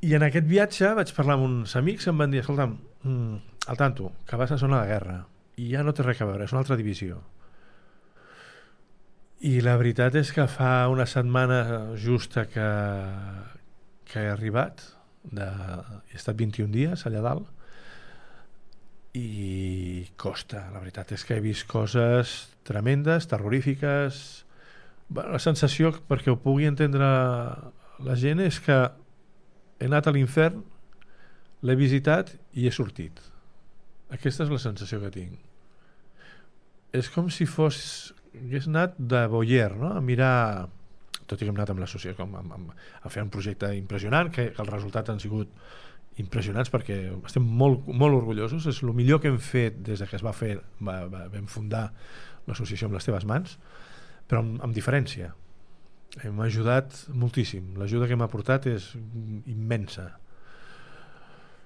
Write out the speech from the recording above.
I en aquest viatge vaig parlar amb uns amics que em van dir, escolta'm, al tanto, que vas a zona de guerra i ja no té res a veure, és una altra divisió. I la veritat és que fa una setmana justa que he arribat, he estat 21 dies allà dalt, i costa, la veritat és que he vist coses tremendes, terrorífiques. Bueno, la sensació, perquè ho pugui entendre la gent, és que he anat a l'infern, l'he visitat i he sortit. Aquesta és la sensació que tinc. És com si hagués anat de voyeur, no? A mirar, tot i que hem anat amb l'associació a fer un projecte impressionant, que els resultats han sigut impressionants perquè estem molt, molt orgullosos. És el millor que hem fet des que es va fer, vam fundar l'associació amb les teves mans, però amb diferència. Hem ajudat moltíssim. L'ajuda que hem aportat és immensa.